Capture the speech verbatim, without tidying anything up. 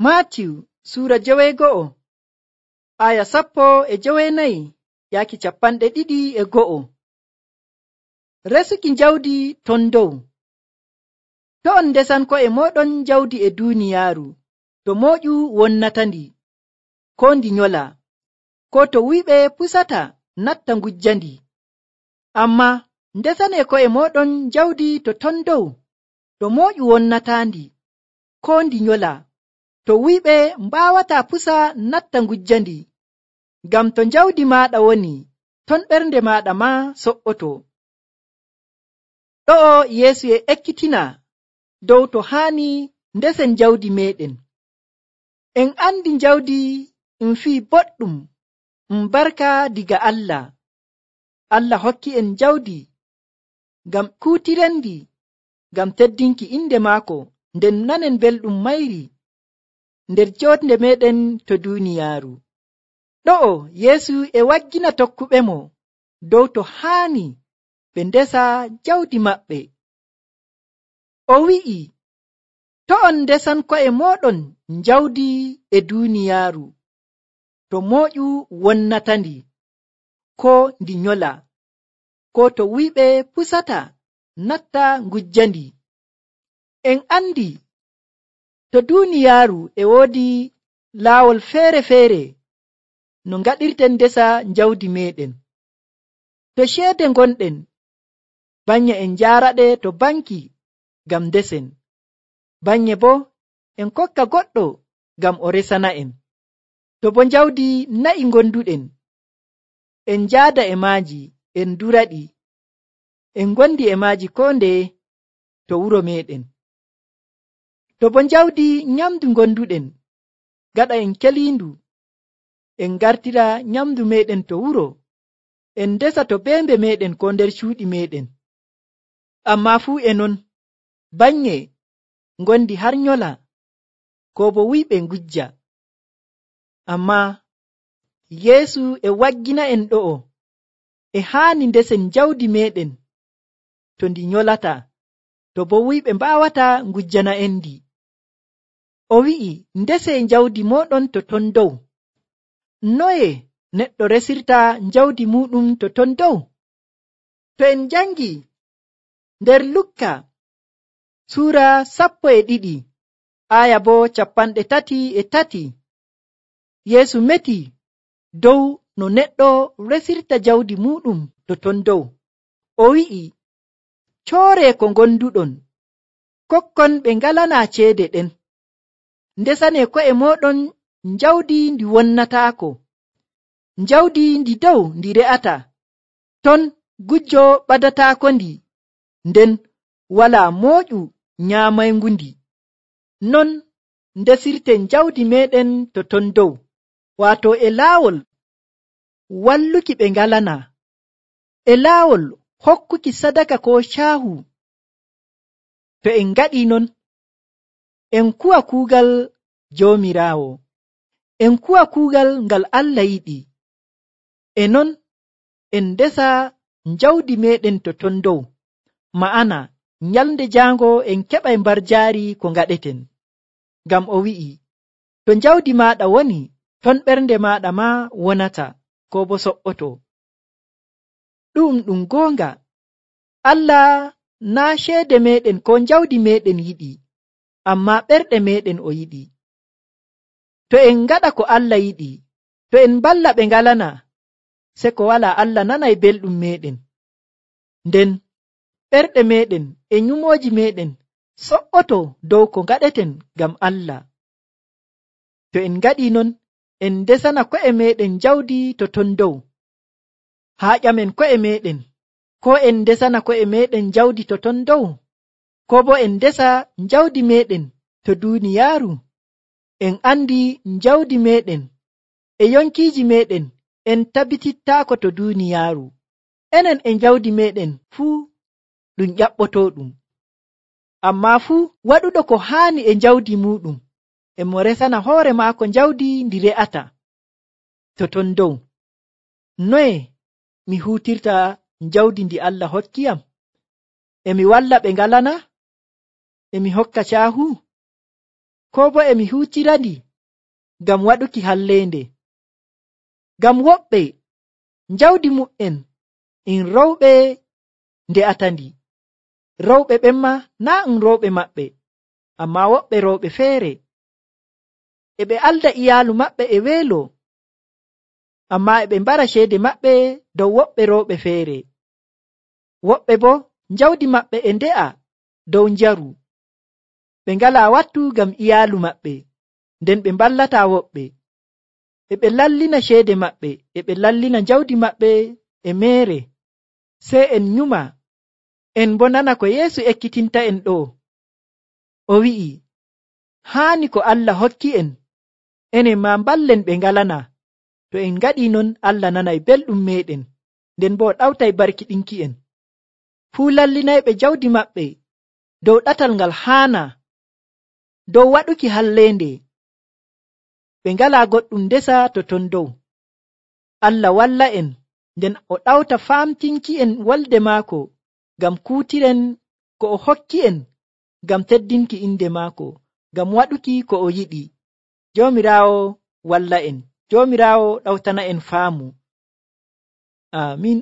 Maatiw suura joweego'o aya sappo e jowenayi yaaki capanɗe ɗiɗi e go'o. Resuki jawdi ton dow. To on ndesan ko'e mooɗon jawdi e duuniyaaru, to mooƴu wonnatandi, ko ndi nyola, ko to wuyɓe pusata natta ngujjandi. Amma ndesanee ko'e mooɗon jawdi to ton dow, to mooƴu wonnataandi, ko ndi nyola, to wuyɓe mbaawataa pusa natta ngujjandi. Ngam to jawdi maaɗa woni, ton ɓernde maaɗa maa so'oto. Ɗo'o Yeesu e ekkitina dow to haani ndesen jawdi meeɗen. En andi jawdi um fii boɗɗum um barka diga Allah. Allah hokki en jawdi ngam kuutirendi, ngam teddinki inde maako, nden nanen belɗum mayri nder jooɗnde meeɗen to duuniyaaru. Ɗo'o Yeesu e waggina tokkuɓemo dow to haani ɓe ndesa jawdi maɓɓe. O wi'i, to on ndesan ko'e mooɗon jawdi e duuniyaaru, to mooƴu wonnatandi, ko ndi nyola, ko to wuyɓe pusata natta ngujjandi. En andi to duuniyaaru e woodi laawol feere-feere no ngaɗirten ndesa jawdi meeɗen. To ceede ngonɗen, banye en njaaraɗe to banki ngam ndesen, banye bo en kokka goɗɗo ngam o resana en. To bo jawdi na'i ngonduɗen, en njaada e maaji, en duraɗi, en ngondi e maaji koo ndeye to wuro meeɗen. To bo jawdi nyamdu ngonduɗen, gaɗa en keliindu, en gartira nyamdu meeɗen to wuro, en ndesa to beembe meeɗen ko nder cuuɗi meeɗen. Amma fuu e non, banye ngondi har nyola, ko bo wuyɓe ngujja. Amma Yeesu e waggina en ɗo'o, e haani ndesen jawdi meeɗen to ndi nyolata, to bo wuyɓe mbaawata ngujjana en ndi. O wi'i, ndesee jawdi mooɗon to ton dow. Noye neɗɗo resirta jawdi muɗum to ton dow? To en jangi nder Lukka suura sappo e ɗiɗi aya bo capanɗe tati e tati, Yeesu meti dow no neɗɗo resirta jawdi muɗum to ton dow. O wi'i, cooree ko gonduɗon, kokkon ɓe ngalanaa ceede ɗen. Ndesanee ko'e mooɗon jawdi ndi wonnataako, jawdi ndi dow ndi re'ata, ton gujjo ɓadataako ndi, nden walaa mooƴu nyaamaygu ndi. Non ndesirten jawdi meeɗen to ton dow, waato e laawol walluki ɓe ngalanaa, e laawol hokkuki sadaka ko caahu. To en ngaɗii non, en kuwa kuugal Joomiraawo, en kuwa kuugal ngal Allah yiɗi. E non en ndesa jawdi meeɗen to ton dow, ma'ana nyalnde jaango en keɓay mbarjaari ko ngaɗeten. Ngam o wi'i, to jawdi maaɗa woni, ton ɓernde maaɗa maa wonata, ko bo so'oto. Ɗum ɗum goonga, Allah naa ceede meeɗen ko jawdi meeɗen yiɗi, amma ɓerɗe meeɗen o yiɗi. To en ngaɗa ko Allah yiɗi, to en balla ɓe ngalana, se ko walaa Allah nanay belɗum meeɗen. Nden ɓerɗe meeɗen e nyumooji meeɗen so'oto dow ko ngaɗeten ngam Allah. To en ngaɗii non, en ndesana ko'e meeɗen jawdi to ton dow. Haa ƴamen ko'e meeɗen, ko en ndesana ko'e meeɗen jawdi to ton dow, ko bo en ndesa jawdi meeɗen to duuniyaaru. En andi jawdi meeɗen e yonkiiji meeɗen en tabitittaako to duuniyaaru. Enen e jawdi meeɗen fuu ɗum ƴaɓɓotooɗum. Amma fuu waɗuɗo ko haani e jawdi muɗum, e mo resana hoore maako jawdi ndi re'ata to ton dow. Noye mi huutirta jawdi ndi Allah hokkiyam? E mi walla ɓe ngalana? E mi hokka caahu? ko bo emi huutirandi ngam waɗuki halleende. Ngam woɓɓe jawdi mu'en in rewɓe nde'atandi. Rewɓe ɓen ma naa um rewɓe maɓɓe, amma woɓɓe rewɓe feere e ɓe alda iyaalu maɓɓe e weelo, amma e ɓe mbara ceede maɓɓe dow woɓɓe rewɓe feere. Woɓɓe bo jawdi maɓɓe e nde'a dow njaru. Ɓe ngalaa wattu ngam iyaalu maɓɓe, nden ɓe mballataa woɓɓe. E ɓe lallina ceede maɓɓe, e ɓe lallina jawdi maɓɓe e meere. Sey en nyuma, en bo nana ko Yeesu ekkitinta en ɗo. O wi'i, haani ko Allah hokki en, enen ma mballen ɓe ngalana. To en ngaɗii non, Allah nanay belɗum meeɗen, nden bo o ɗawtay barkiɗinki en. Fuu lallinayɓe jawdi maɓɓe dow ɗatal ngal haana, dow waɗuki halleende. Ɓe ngalaa goɗɗum ndesa to ton dow. Allah walla en, nden o ɗawta faamtinki en wolde maako, ngam kuutiren ko o hokki en, ngam teddinki inde maako, ngam waɗuki ko o yiɗi. Joomiraawo walla en, Joomiraawo ɗawtana en faamu. Aamin.